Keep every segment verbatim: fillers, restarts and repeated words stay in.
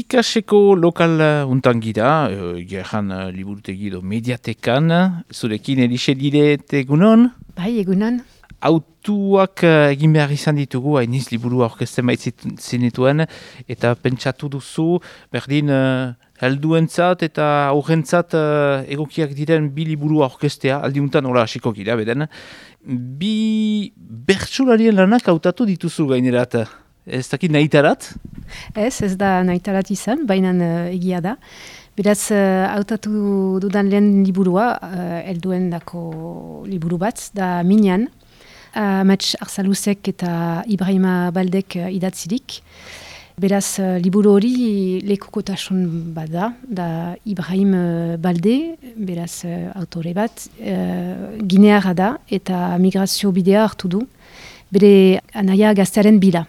Pikaseko lokal untan gira, gerran uh, liburutegi edo mediatekan, zurekin Elixe Diret egunon? Bai, egunon. Autuak uh, egin behar izan ditugu, hainiz liburua orkesten baitzinituen, eta pentsatu duzu, berdin uh, helduentzat eta aurrentzat uh, egokiak diren bi liburua orkestea, aldiuntan hola hasiko gira, beden. Bi bertsularien lanak hautatu dituzu gainerat. Ez dakit nahitarat? Ez, ez da nahitarat izan, baina uh, egia da. Beraz, hautatu uh, dudan lehen liburua, uh, elduen dako liburu bat, da Minan. Uh, Amets Arsaluzek eta Ibrahima Baldek uh, idatzirik. Beraz, uh, liburu hori lekukotasun bat da, da Ibrahim uh, Balde, beraz uh, autore bat, uh, gineara da eta migrazio bidea hartu du, bere anaia gaztearen bila.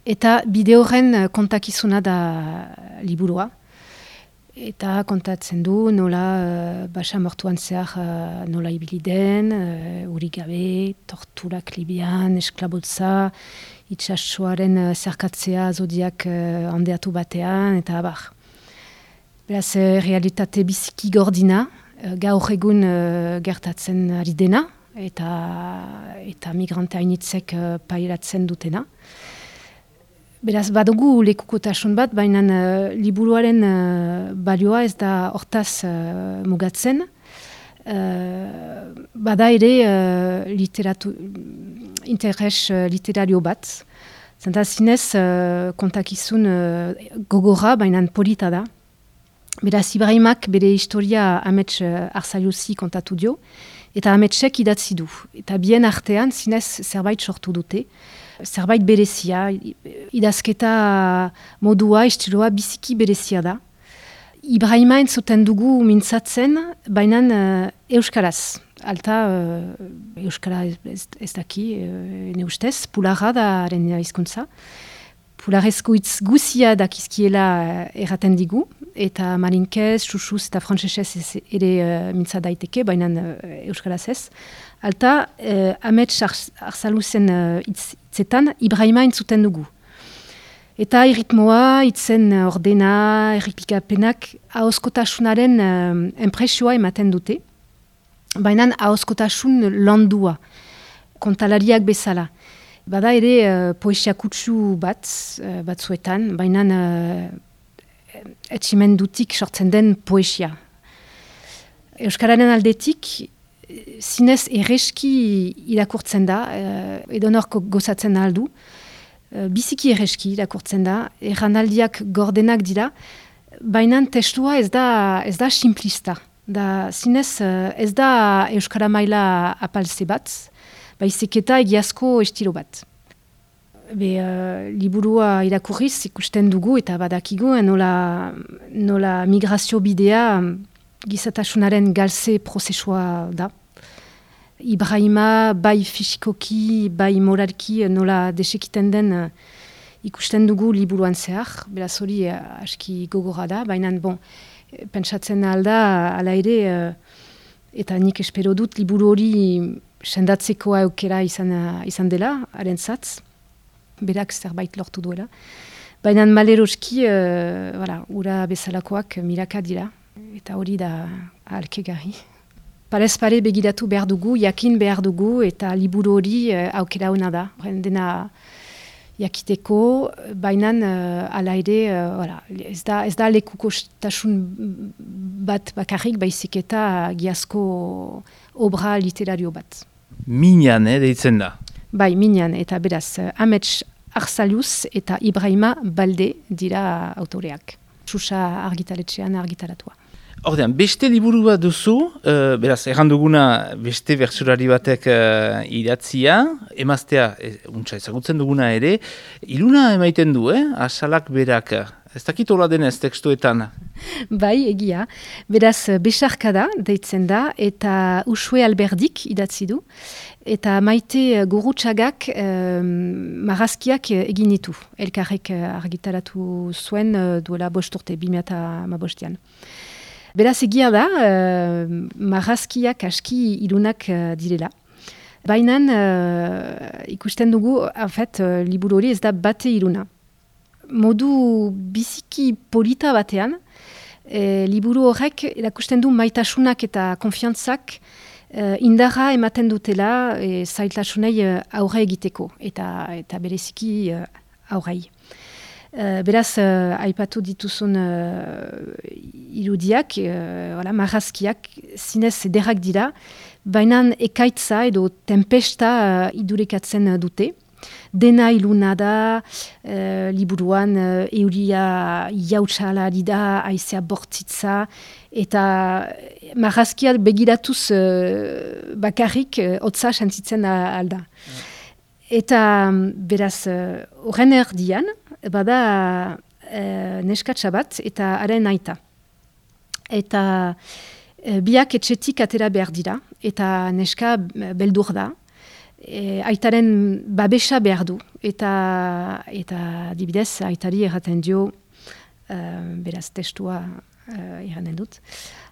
Eta bide horren kontakizuna da liburua. Eta kontatzen du nola uh, basa mortuan zehar uh, nola ibili den, uh, uri gabe, torturak Libian, esklabotza, itxasoaren uh, zerkatzea zodiak uh, handeatu batean, eta abar. Beraz, uh, realitate biziki gordina, uh, gaur egun uh, gertatzen ari dena, eta, eta migrante hainitzek uh, pairatzen dutena. Beraz, badugu lekukotasun bat, baina uh, liburuaren uh, balioa ez da hortaz uh, mugatzen. Uh, bada ere uh, literatu, interes uh, literario bat. Zenta zinez uh, kontakizun uh, gogorra, baina polita da. Beraz, Ibrahimak bere historia Amets uh, Arsaluzi kontatu dio, eta Ametsek idatzi du. Eta bien artean zinez zerbait sortu dute. Zerbait berezia, idazketa modua, estiloa biziki berezia da. Ibrahima entzuten dugu mintzatzen, baina uh, euskaraz. Alta uh, euskara ez, ez daki, uh, ne ustez, pularra da haren hizkuntza. Pularezko hitz guzia dakizkiela uh, erraten digu, eta marinkez, xuxuz eta frantsesez ere uh, mintza daiteke, baina uh, euskaraz ez. Alta, uh, Amets Arsaluzen uh, hitzetan, Ibrahima entzuten dugu. Eta irritmoa, hitzen ordena, erripikapenak, ahozkotasunaren uh, enpresioa ematen dute. Baina ahozkotasun landua, kontalariak bezala. Bada ere uh, poesia kutsu bat, uh, batzuetan, baina uh, etximendutik sortzen den poesia. Euskararen aldetik, zinez erreski irakurtzen da, uh, edonorko gozatzen aldu, uh, biziki erreski irakurtzen da, erranaldiak gordenak dira, baina testua ez da, ez da simplista. Da, zinez uh, ez da euskara maila apalze bat, baizik eta egiazko estilo bat. Be, uh, liburua irakurriz ikusten dugu eta badakigu nola, nola migrazio bidea gizatasunaren galze prozesua da. Ibrahima bai fisikoki, bai moralki nola desekiten den uh, ikusten dugu liburuan zehar. Beraz hori uh, aski gogorra da, baina bon, pentsatzen alda, ala ere, uh, eta nik espero dut liburu hori sendatzeko aukera izan, izan dela, haren zatz, berak zerbait lortu duela. Baina maleroski, uh, voilà, ura bezalakoak miraka dira, eta hori da ahalkegarri. Parez pare begiratu behar dugu, jakin behar dugu, eta liburu hori uh, aukera hona da. Dena jakiteko, baina uh, ala ere, uh, voilà, ez da, ez da lekukotasun bat bakarrik, baizik eta giazko obra literario bat. Minan, eh, deitzen da. Bai, Minan, eta beraz, Amets Arsaluz eta Ibrahima Balde dira autoreak. Xuxa argitaletxean argitaratua. Ordean, beste liburu bat duzu, uh, beraz, erranduguna beste bertsulari batek uh, idatzia, emaztea, e, untsa ezagutzen duguna ere, iluna emaiten du, eh? Asalak berak. Ez dakit hola denez tekstuetan. Bai, egia. Beraz, besarkada deitzen da, eta Usue Alberdik idatzi du, eta Maite Gurutxagak um, marrazkiak egin ditu. Elkarrek argitaratu zuen uh, duela bost urte, bi mila hamabostean. Beraz, egia da, uh, marrazkiak aski ilunak uh, direla. Baina uh, ikusten dugu, en fait, uh, liburu hori ez da bate iluna. modu biziki polita batean, e, liburu horrek erakusten du maitasunak eta konfiantzak e, indarra ematen dutela e, zailtasunei e, aurre egiteko eta, eta bereziki e, aurrei. Uh, beraz, uh, aipatu dituzun uh, irudiak, uh, voilà, marrazkiak, zinez ederrak dira, baina ekaitza edo tempesta uh, idurikatzen dute. Dena iluna da, uh, liburuan uh, euria jautsala da, aizea bortzitza, eta marrazkiak begiratuz uh, bakarrik uh, hotza sentitzen alda. Mm. Eta beraz, horren uh, erdian, bada uh, neskatsa bat eta haren aita. Eta uh, biak etxetik atera behar dira, eta neska beldur da, e, aitaren babesa behar du, eta, eta dibidez aitari erraten dio, uh, beraz testua uh, erraten dut,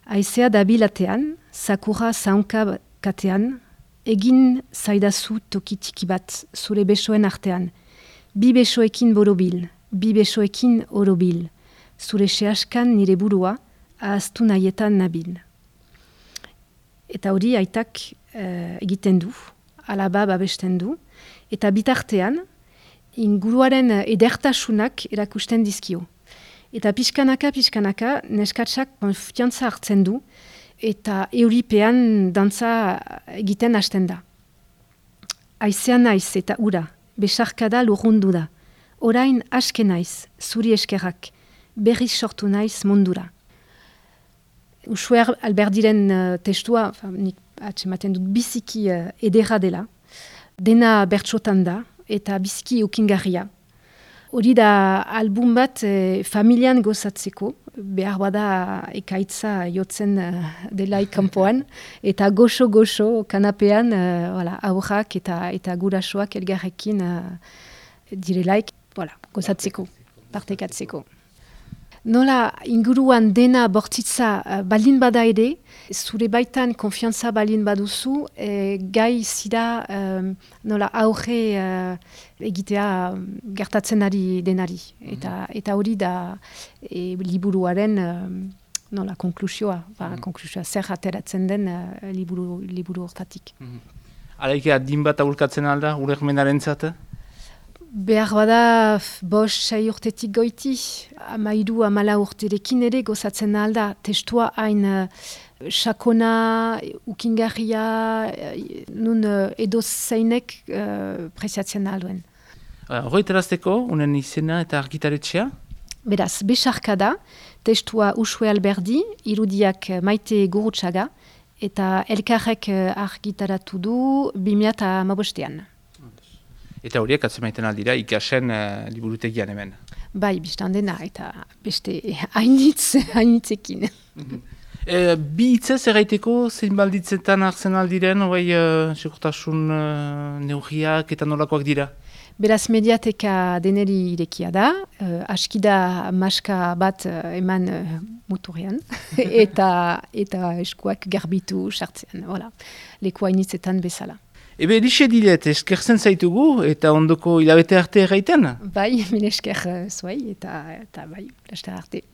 aizea dabilatean, sakura zaunka katean, egin zaidazu toki tiki bat zure besoen artean, bi besoekin borobil, bi besoekin orobil, zure sehaskan nire burua, ahaztu nahietan nabil. Eta hori aitak uh, egiten du, alaba babesten du, eta bitartean, inguruaren edertasunak erakusten dizkio. Eta pixkanaka, pixkanaka, neskatsak konfiantza hartzen du, eta euripean dantza egiten hasten da. Aizean naiz eta ura, besarkada lurrundu da. Orain aske naiz, zuri eskerrak, berriz sortu naiz mundura. Usue Alberdiren uh, testua, nik atsematen dut biziki uh, edera dela, dena bertsotan da, eta biziki ukingarria. Hori da album bat eh, familian gozatzeko, behar bada ekaitza jotzen uh, delaik kanpoan, eta goxo-goxo kanapean uh, voilà, aurrak eta, eta gurasoak elgarrekin uh, direlaik voilà, gozatzeko, partekatzeko. Nola inguruan dena bortzitza uh, baldin bada ere, zure baitan konfiantza baldin baduzu, eh, gai zira um, nola aurre uh, egitea gertatzen ari denari. Eta, eta hori da e, liburuaren um, nola konklusioa, ba, mm-hmm. konklusioa zer ateratzen den uh, liburu, liburu hortatik. Mm-hmm. Alaike adin bat aurkatzen alda, urekmenaren zata? Behar bada bos sei urtetik goiti, amairu amala urterekin ere gozatzen alda, testua hain uh, sakona, ukingarria, uh, nun uh, edo zeinek uh, preziatzen alduen. Hoi uh, terazteko, unen izena eta argitaretxea? Beraz, besarka da, testua Usue Alberdi, irudiak Maite Gurutxaga, eta elkarrek uh, argitaratu du bi mila hamabostean. Eta horiek atzemaiten aldira ikasen uh, liburutegian hemen. Bai, biztan dena, eta beste hainitz, hainitzekin. e, bi hitzez erraiteko zein balditzetan hartzen aldiren, bai, uh, segurtasun uh, neurriak eta nolakoak dira? Beraz, mediateka deneri irekia da, uh, askida maska bat uh, eman uh, muturrean, eta, eta eskuak garbitu sartzean, voilà. Leku hainitzetan bezala. Ebe, lixe dilet, eskerzen zaitugu eta ondoko hilabete arte erraiten? Bai, min esker zuai eta, eta bai, laster arte.